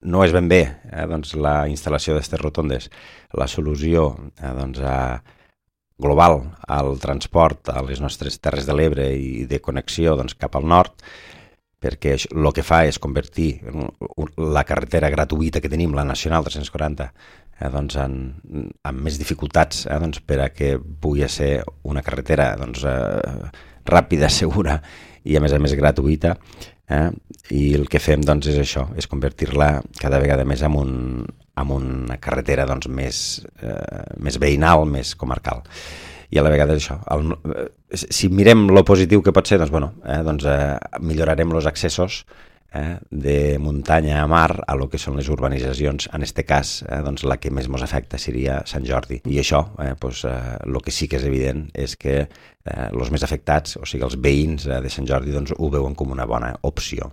no és ben bé doncs, la instal·lació d'aquestes rotondes la solució global al transport a les nostres Terres de l'Ebre i de connexió doncs, cap al nord, perquè el que fa és convertir la carretera gratuïta que tenim, la Nacional 340, amb més dificultats doncs, per a que pugui ser una carretera ràpida, segura i a més gratuïta, i el que fem doncs, és això, és convertir-la cada vegada més en una carretera doncs, més veïnal, més comarcal. I a la vegada això, si mirem lo positiu que pot ser, millorarem els accessos de muntanya a mar a lo que són les urbanitzacions. En aquest cas, la que més ens afecta seria Sant Jordi. I això, el que sí que és evident és que els més afectats, o sigui, els veïns de Sant Jordi, ho veuen com una bona opció.